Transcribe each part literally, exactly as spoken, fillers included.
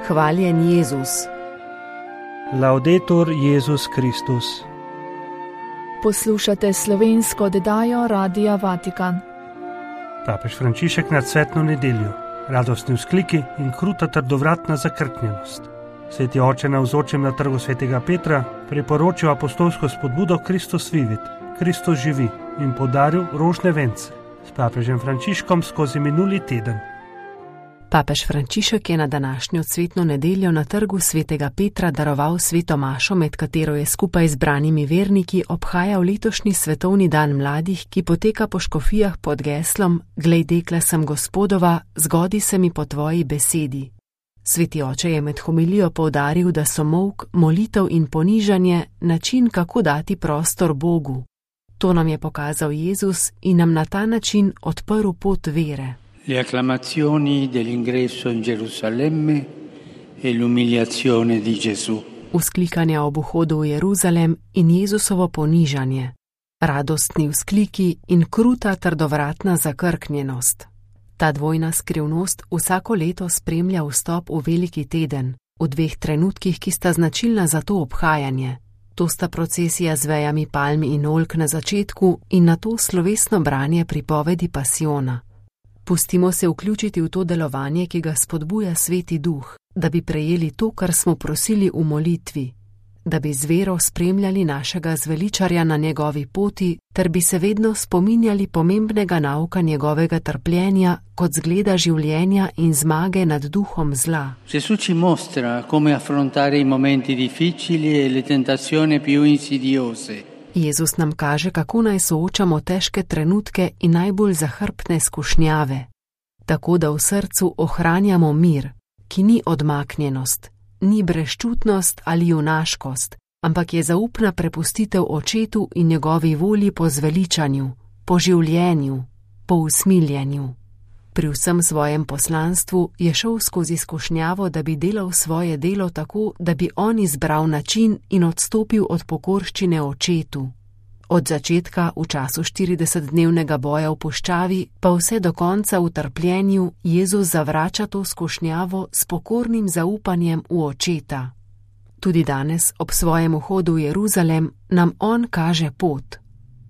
Hvaljen Jezus. Laudetur Jezus Kristus. Poslušate slovensko oddajo Radia Vatikan. Papež Frančišek nad cvetno nedeljo, radostni vzkliki in kruta trdovratna zakrknjenost. Sveti oče navzočim na trgu svetega Petra priporočil apostolsko spodbudo Kristus vivit, Kristus živi in podaril rožne vence s papežem Frančiškom skozi minuli teden. Papež Frančišek je na današnjo cvetno nedeljo na trgu svetega Petra daroval sveto mašo, med katero je skupaj z branimi verniki obhajal letošnji svetovni dan mladih, ki poteka po škofijah pod geslom Glej, dekle sem Gospodova, zgodi se mi po tvoji besedi. Sveti oče je med homilijo poudaril, da so molk, molitev in ponižanje način, kako dati prostor Bogu. To nam je pokazal Jezus in nam na ta način odprl pot vere. Le acclamazioni dell'ingresso in Gerusalemme e l'umiliazione di Gesù. Vzklikanja ob vhodu v Jeruzalem in Jezusovo ponižanje. Radostni vzkliki in kruta trdovratna zakrknjenost. Ta dvojna skrivnost vsako leto spremlja vstop v veliki teden, v dveh trenutkih, ki sta značilna za to obhajanje. To sta procesija z vejami palm in oljk na začetku in nato slovesno branje pripovedi pasiona. Pustimo se vključiti v to delovanje, ki ga spodbuja Sveti Duh, da bi prejeli to, kar smo prosili v molitvi, da bi z vero spremljali našega zveličarja na njegovi poti, ter bi se vedno spominjali pomembnega nauka njegovega trpljenja kot zgleda življenja in zmage nad duhom zla. Gesù ci mostra come affrontare i momenti difficili e le tentazioni più insidiose. Jezus nam kaže, kako naj soočamo težke trenutke in najbolj zahrbtne skušnjave, tako da v srcu ohranjamo mir, ki ni odmaknjenost, ni brezčutnost ali junaškost, ampak je zaupna prepustitev očetu in njegovi volji po zveličanju, po življenju, po usmiljenju. Pri vsem svojem poslanstvu je šel skozi skušnjavo, da bi delal svoje delo tako, da bi on izbral način in odstopil od pokorščine očetu. Od začetka v času štiridesetdnevnega boja v puščavi, pa vse do konca v trpljenju, Jezus zavrača to skušnjavo s pokornim zaupanjem v očeta. Tudi danes, ob svojem vhodu v Jeruzalem, nam on kaže pot.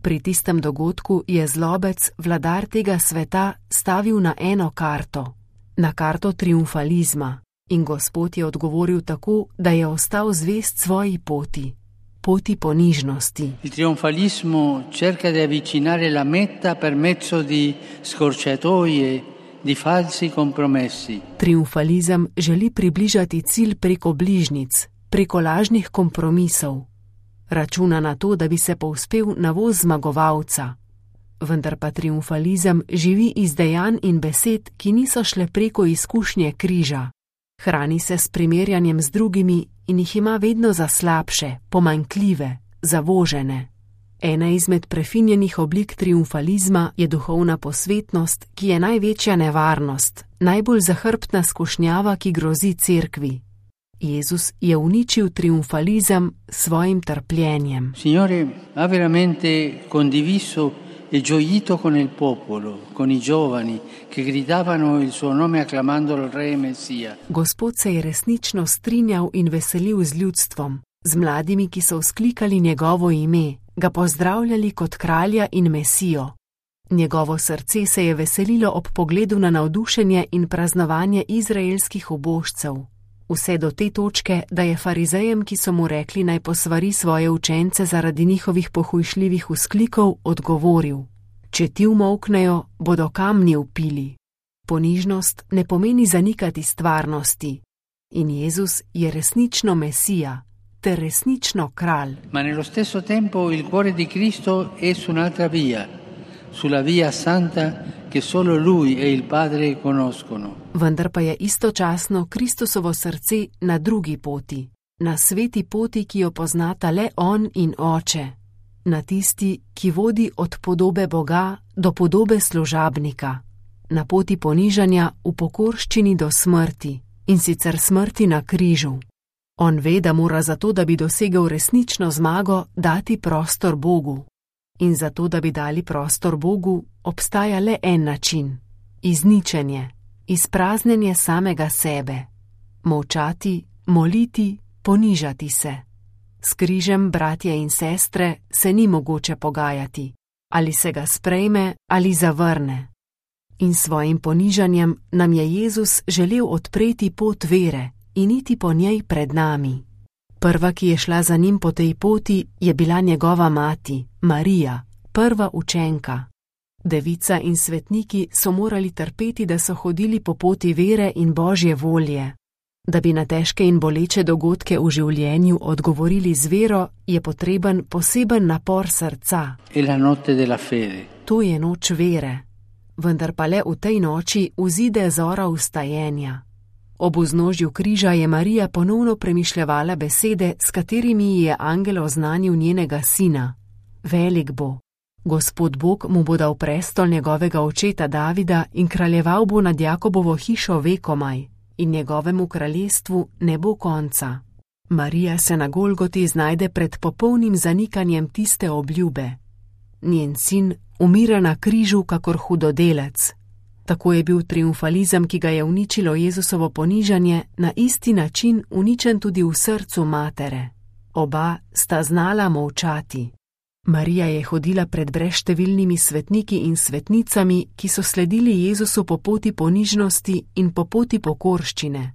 Pri tistem dogodku je zlobec, vladar tega sveta, stavil na eno karto, na karto triumfalizma, in Gospod je odgovoril tako, da je ostal zvest svoji poti, poti ponižnosti. Il trionfalismo cerca di avvicinare la meta per mezzo di scorciatoie, di falsi compromessi. Triumfalizem želi približati cilj preko bližnjic, preko lažnih kompromisov. Računa na to, da bi se povzpel na voz zmagovalca. Vendar pa triumfalizem živi iz dejanj in besed, ki niso šle preko izkušnje križa. Hrani se s primerjanjem z drugimi in jih ima vedno za slabše, pomanjkljive, zavožene. Ena izmed prefinjenih oblik triumfalizma je duhovna posvetnost, ki je največja nevarnost, najbolj zahrbtna skušnjava, ki grozi cerkvi. Jezus je uničil triumfalizem svojim trpljenjem. Signore ha veramente condiviso e gioito con il popolo, con i giovani che gridavano il suo nome acclamando il re Messia. Gospod se je resnično strinjal in veselil z ljudstvom, z mladimi, ki so vzklikali njegovo ime, ga pozdravljali kot kralja in Mesijo. Njegovo srce se je veselilo ob pogledu na navdušenje in praznovanje izraelskih ubožcev. Vse do te točke, da je farizejem, ki so mu rekli, naj posvari svoje učence zaradi njihovih pohujšljivih vzklikov, odgovoril: Če ti umolknejo, bodo kamni vpili. Ponižnost ne pomeni zanikati stvarnosti. In Jezus je resnično Mesija, ter resnično kralj. Ma nello stesso tempo il cuore di Cristo è su un'altra via, sulla via santa che solo Lui e il Padre conoscono. Vendar pa je istočasno Kristusovo srce na drugi poti, na sveti poti, ki jo poznata le On in Oče, na tisti, ki vodi od podobe Boga do podobe služabnika, na poti ponižanja v pokorščini do smrti, in sicer smrti na križu. On ve, da mora zato, da bi dosegel resnično zmago, dati prostor Bogu. In zato, da bi dali prostor Bogu, obstaja le en način – izničenje, izpraznjenje samega sebe. molčati, moliti, ponižati se. S križem, bratje in sestre, se ni mogoče pogajati, ali se ga sprejme ali zavrne. In svojim ponižanjem nam je Jezus želel odpreti pot vere in iti po njej pred nami. Prva, ki je šla za njim po tej poti, je bila njegova mati, Marija, prva učenka. Devica in svetniki so morali trpeti, da so hodili po poti vere in Božje volje. Da bi na težke in boleče dogodke v življenju odgovorili z vero, je potreben poseben napor srca. To je noč vere, vendar pa le v tej noči vzide zora vstajenja. Ob vznožju križa je Marija ponovno premišljevala besede, s katerimi ji je angel oznanil njenega sina. Velik bo. Gospod Bog mu bo dal prestol njegovega očeta Davida in kraljeval bo nad Jakobovo hišo vekomaj, in njegovemu kraljestvu ne bo konca. Marija se na Golgoti znajde pred popolnim zanikanjem tiste obljube. Njen sin umira na križu kakor hudodelec. Tako je bil triumfalizem, ki ga je uničilo Jezusovo ponižanje, na isti način uničen tudi v srcu matere. Oba sta znala molčati. Marija je hodila pred brezštevilnimi svetniki in svetnicami, ki so sledili Jezusu po poti ponižnosti in po poti pokorščine.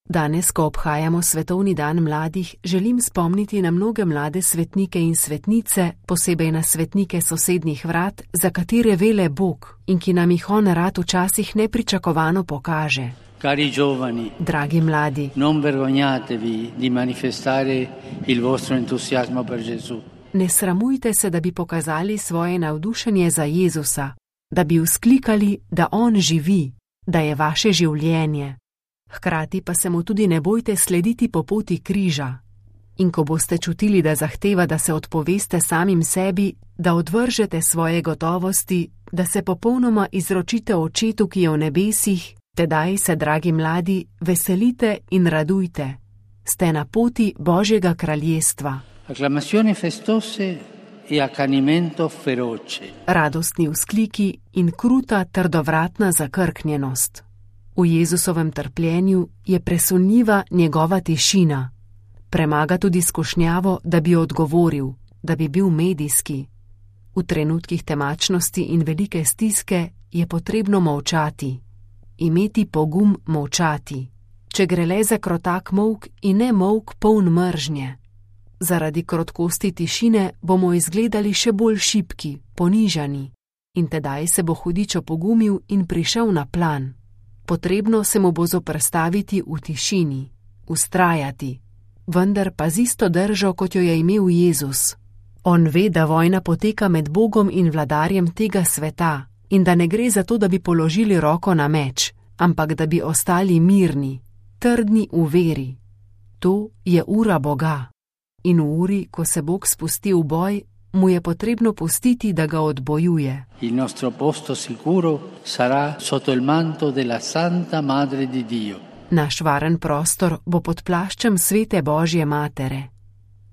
Danes, ko obhajamo svetovni dan mladih, želim spomniti na mnoge mlade svetnike in svetnice, posebej na svetnike sosednjih vrat, za katere vele Bog in ki nam jih on rad včasih nepričakovano pokaže. Cari giovani, dragi mladi, non vergognatevi di manifestare il vostro entusiasmo per Gesù. Ne sramujte se, da bi pokazali svoje navdušenje za Jezusa, da bi vzklikali, da on živi, da je vaše življenje. Hkrati pa se mu tudi ne bojte slediti po poti križa. In ko boste čutili, da zahteva, da se odpoveste samim sebi, da odvržete svoje gotovosti, da se popolnoma izročite Očetu, ki je v nebesih, tedaj se, dragi mladi, veselite in radujte. Ste na poti Božjega kraljestva. Acclamazioni festose e accanimento feroce. Radostni vzkliki in kruta trdovratna zakrknjenost. V Jezusovem trpljenju je presunljiva njegova tišina. Premaga tudi skušnjavo, da bi odgovoril, da bi bil medijski. V trenutkih temačnosti in velike stiske je potrebno molčati. Imeti pogum molčati. Če gre le za krotak molk in ne molk poln mržnje. Zaradi krotkosti tišine bomo izgledali še bolj šibki, ponižani. In tedaj se bo hudič opogumil in prišel na plan. Potrebno se mu bo zoperstaviti v tišini, ustrajati, vendar pa z isto držo, kot jo je imel Jezus. On ve, da vojna poteka med Bogom in vladarjem tega sveta in da ne gre za to, da bi položili roko na meč, ampak da bi ostali mirni, trdni v veri. To je ura Boga. In v uri, ko se Bog spusti v boj, mu je potrebno pustiti, da ga odbojuje. Il nostro posto sicuro sarà sotto il manto della Santa Madre di Dio. Naš varen prostor bo pod plaščem svete Božje matere.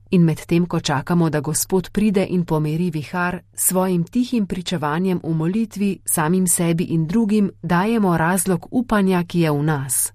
In medtem, ko čakamo, da Gospod pride in pomiri vihar, svojim tihim pričevanjem v molitvi, samim sebi in drugim, dajemo razlog upanja, ki je v nas.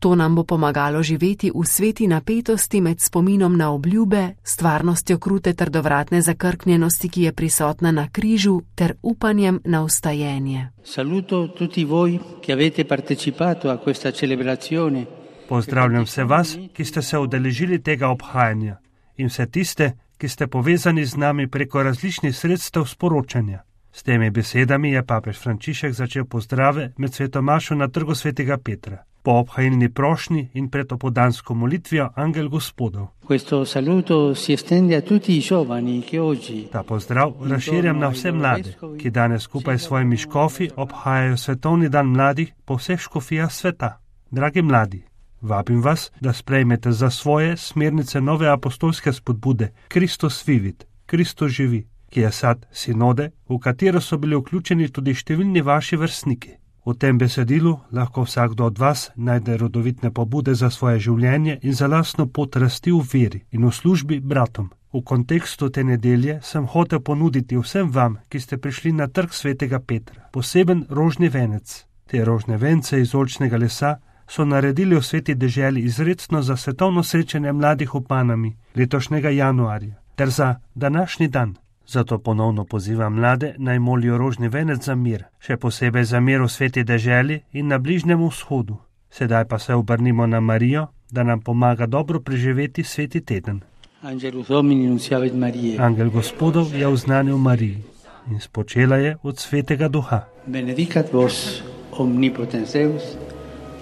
To nam bo pomagalo živeti v sveti napetosti med spominom na obljube, stvarnostjo krute trdovratne zakrknjenosti, ki je prisotna na križu, ter upanjem na vstajenje. Saluto tutti voi che avete partecipato a questa celebrazione. Pozdravljam vse vas, ki ste se udeležili tega obhajanja, in vse tiste, ki ste povezani z nami preko različnih sredstev sporočanja. S temi besedami je papež Frančišek začel pozdrave med svetomašo na Trgu svetega Petra. Po obhajilni prošnji in pred opodansko molitvijo Angel Gospodov. Questo saluto si estende a tutti i giovani che oggi. Ta pozdrav razširjam na vse mlade, ki danes skupaj s svojimi škofi obhajajo svetovni dan mladih po vseh škofijah sveta. Dragi mladi, vabim vas, da sprejmete za svoje smernice nove apostolske spodbude Kristus vivit, Kristus živi, ki je sad sinode, v katero so bili vključeni tudi številni vaši vrstniki. V tem besedilu lahko vsakdo od vas najde rodovitne pobude za svoje življenje in za lastno pot rasti v veri in v službi bratom. V kontekstu te nedelje sem hotel ponuditi vsem vam, ki ste prišli na Trg svetega Petra, poseben rožni venec. Te rožne vence iz oljčnega lesa so naredili v Sveti deželi izredno za svetovno srečanje mladih v Panami letošnjega januarja ter za današnji dan. Zato ponovno pozivam mlade, naj molijo rožni venec za mir, še posebej za mir v Sveti deželi in na Bližnjem vzhodu. Sedaj pa se obrnimo na Marijo, da nam pomaga dobro preživeti sveti teden. Angel Gospodov je oznanil Mariji in spočela je od Svetega Duha. Benedicat vos omnipotens Deus,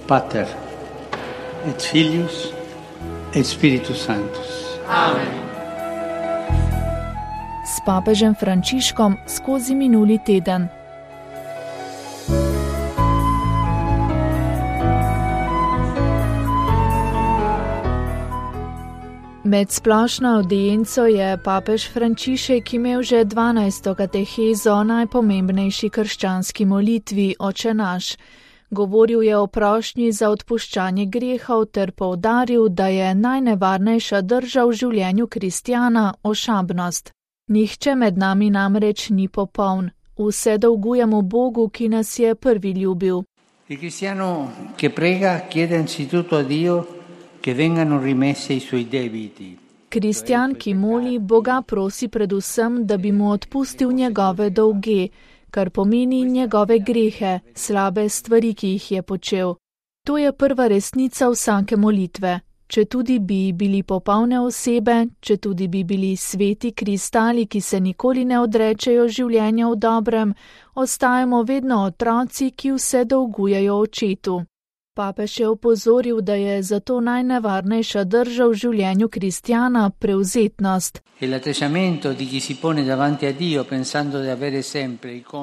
Pater et Filius et Spiritus Sanctus. Amen. S papežem Frančiškom skozi minuli teden. Med splošno avdienco je papež Frančišek imel že dvanajsto katehezo o najpomembnejši krščanski molitvi Oče naš. Govoril je o prošnji za odpuščanje grehov ter poudaril, da je najnevarnejša drža v življenju kristjana ošabnost. Nihče med nami namreč ni popoln. Vse dolgujemo Bogu, ki nas je prvi ljubil. Il cristiano che prega chiede anzitutto a Dio che vengano rimessi i suoi debiti. Kristjan, ki moli, Boga prosi predvsem, da bi mu odpustil njegove dolge, kar pomeni njegove grehe, slabe stvari, ki jih je počel. To je prva resnica vsake molitve. Če tudi bi bili popolne osebe, če tudi bi bili sveti kristali, ki se nikoli ne odrečejo življenja v dobrem, ostajamo vedno otroci, ki vse dolgujejo očetu. Papež je opozoril, da je zato najnevarnejša drža v življenju kristjana prevzetnost.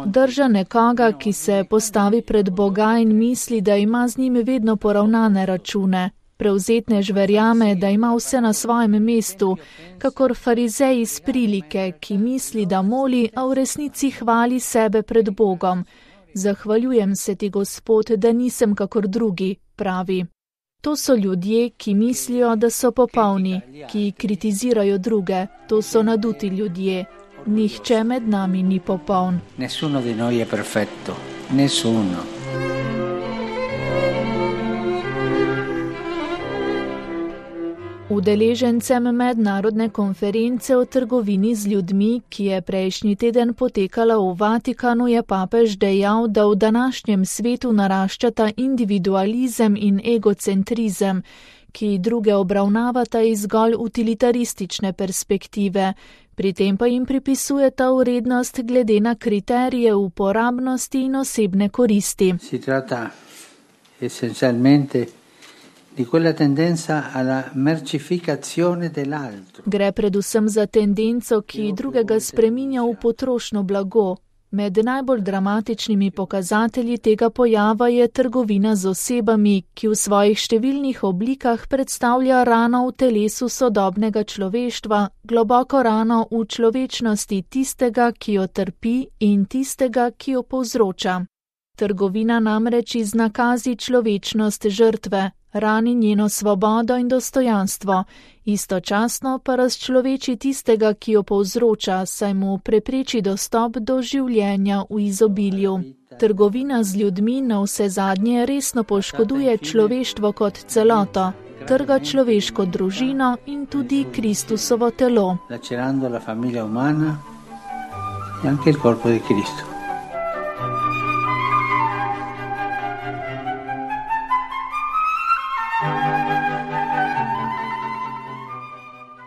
Drža nekoga, ki se postavi pred Boga in misli, da ima z njim vedno poravnane račune. Prevzetnež verjame, da ima vse na svojem mestu, kakor farizej iz prilike, ki misli, da moli, a v resnici hvali sebe pred Bogom. Zahvaljujem se ti, Gospod, da nisem kakor drugi, pravi. To so ljudje, ki mislijo, da so popolni, ki kritizirajo druge. To so naduti ljudje. Nihče med nami ni popoln. Nessuno di noi è perfetto. Nessuno. Udeležencem mednarodne konference o trgovini z ljudmi, ki je prejšnji teden potekala v Vatikanu, je papež dejal, da v današnjem svetu naraščata individualizem in egocentrizem, ki druge obravnavata iz zgolj utilitaristične perspektive, pri tem pa jim pripisujeta vrednost glede na kriterije uporabnosti in osebne koristi. Si trata essenzialmente di quella tendenza alla mercificazione dell'altro. Gre predvsem za tendenco, ki drugega spreminja v potrošno blago. Med najbolj dramatičnimi pokazatelji tega pojava je trgovina z osebami, ki v svojih številnih oblikah predstavlja rano v telesu sodobnega človeštva, globoko rano v človečnosti tistega, ki jo trpi, in tistega, ki jo povzroča. Trgovina namreč iznakazi človečnost žrtve, rani njeno svobodo in dostojanstvo, istočasno pa razčloveči tistega, ki jo povzroča, saj mu prepreči dostop do življenja v izobilju. Trgovina z ljudmi na vse zadnje resno poškoduje človeštvo kot celoto, trga človeško družino in tudi Kristusovo telo. Lacerando la famiglia umana e anche il corpo di Cristo.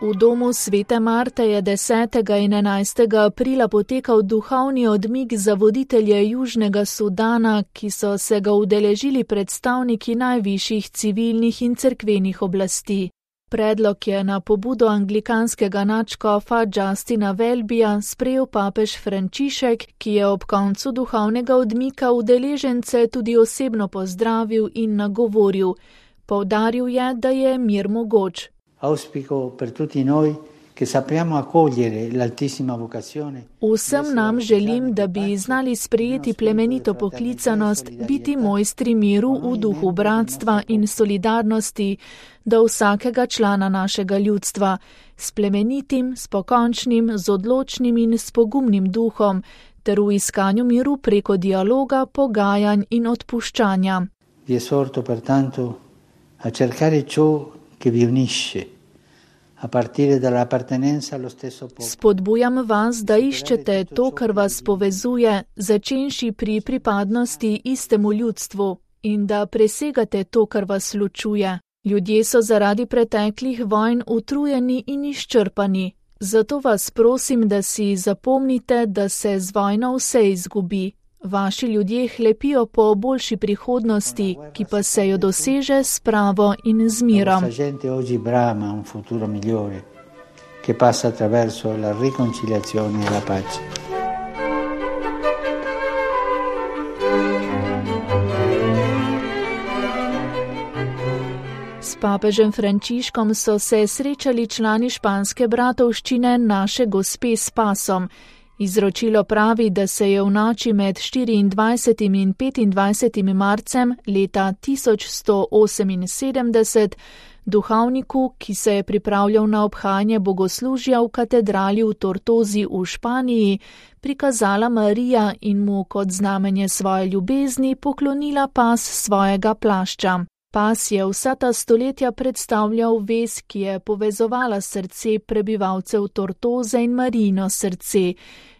V domu Svete Marte je desetega in enajstega aprila potekal duhovni odmik za voditelje Južnega Sudana, ki so se ga udeležili predstavniki najvišjih civilnih in cerkvenih oblasti. Predlog je na pobudo anglikanskega nadškofa Justina Welbyja sprejel papež Frančišek, ki je ob koncu duhovnega odmika udeležence tudi osebno pozdravil in nagovoril. Poudaril je, da je mir mogoč. Auspico per tutti noi che sappiamo accogliere l'altissima vocazione. Vsem nam želim, da bi znali sprejeti plemenito poklicanost, biti mojstri miru v duhu bratstva in solidarnosti do vsakega člana našega ljudstva, s plemenitim, s pokončnim, z odločnim in s pogumnim duhom, ter v iskanju miru preko dialoga, pogajanj in odpuščanja. Vi esorto pertanto a cercare ciò che vi unisce, a partire dall'appartenenza allo stesso popolo. Spodbujam vas, da iščete to, kar vas povezuje, začenši pri pripadnosti istemu ljudstvu, in da presegate to, kar vas ločuje. Ljudje so zaradi preteklih vojn utrujeni in izčrpani. Zato vas prosim, da si zapomnite, da se z vojno vse izgubi. Vaši ljudje hlepijo po boljši prihodnosti, ki pa se jo doseže s pravo in z mirom. La gente oggi brama un futuro migliore, che passa attraverso la riconciliazione e la pace. S papežem Frančiškom so se srečali člani španske bratovščine Naše gospe s pasom. Izročilo pravi, da se je v noči med štiriindvajsetim in petindvajsetim marcem leta tisoč sto oseminsedemdeset duhovniku, ki se je pripravljal na obhajanje bogoslužja v katedrali v Tortozi v Španiji, prikazala Marija in mu kot znamenje svoje ljubezni poklonila pas svojega plašča. Pas je vsa ta stoletja predstavljal vez, ki je povezovala srce prebivalcev Tortoze in Marijino srce,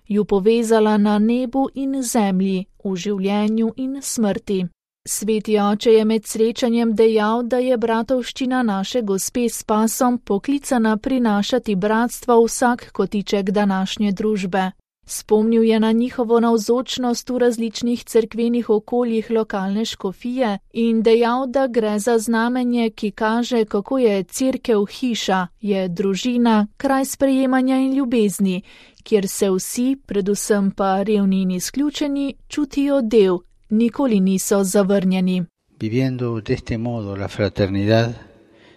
ju povezala na nebu in zemlji, v življenju in smrti. Sveti oče je med srečanjem dejal, da je bratovščina Naše gospe s pasom poklicana prinašati bratstvo vsak kotiček današnje družbe. Spomnil je na njihovo navzočnost v različnih cerkvenih okoljih lokalne škofije in dejal, da gre za znamenje, ki kaže, kako je cerkev hiša, je družina, kraj sprejemanja in ljubezni, kjer se vsi, predvsem pa revni in izključeni, čutijo del, nikoli niso zavrnjeni. Viviendo de este modo la fraternidad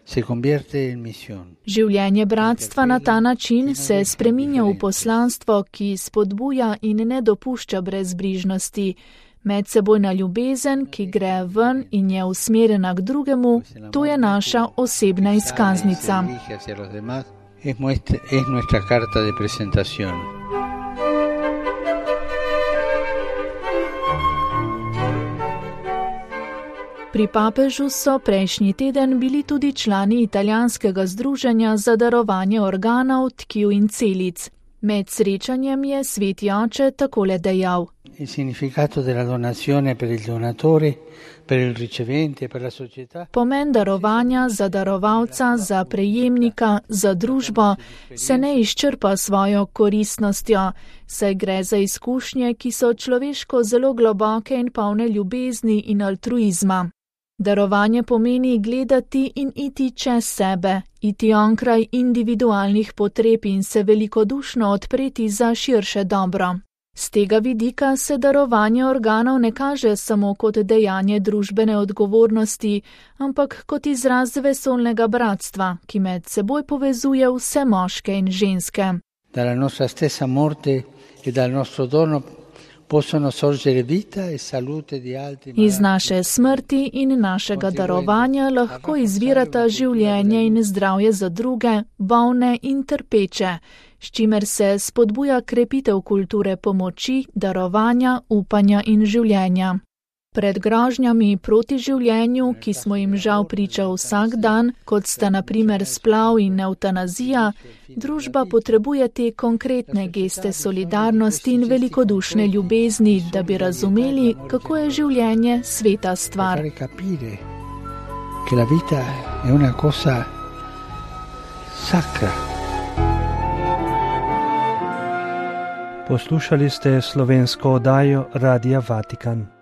se convierte en misión. Življenje bratstva na ta način se spreminja v poslanstvo, ki spodbuja in ne dopušča brezbrižnosti. Medsebojna ljubezen, ki gre ven in je usmerjena k drugemu, to je naša osebna izkaznica. Es nuestra carta de presentación. Pri papežu so prejšnji teden bili tudi člani italijanskega združenja za darovanje organov, tkiv in celic. Med srečanjem je sveti oče takole dejal. Il significato della donazione per il donatore, per il ricevente, per la società. Pomen darovanja za darovalca, za prejemnika, za družbo se ne izčrpa svojo koristnostjo, saj gre za izkušnje, ki so človeško zelo globoke in polne ljubezni in altruizma. Darovanje pomeni gledati in iti čez sebe, iti onkraj individualnih potreb in se velikodušno odpreti za širše dobro. Z tega vidika se darovanje organov ne kaže samo kot dejanje družbene odgovornosti, ampak kot izraz vesolnega bratstva, ki med seboj povezuje vse moške in ženske. Dalla nostra stessa morte e dal nostro dono possono sorgere vita e salute di altri. Iz naše smrti in našega darovanja lahko izvirata življenje in zdravje za druge, bolne in trpeče, s čimer se spodbuja krepitev kulture pomoči, darovanja, upanja in življenja. Pred grožnjami proti življenju, ki smo jim žal priča vsak dan, kot sta na primer splav in eutanazija, družba potrebuje te konkretne geste solidarnosti in velikodušne ljubezni, da bi razumeli, kako je življenje sveta stvar. Che la vita è una cosa sacra. Poslušali ste slovensko oddajo Radia Vatikan.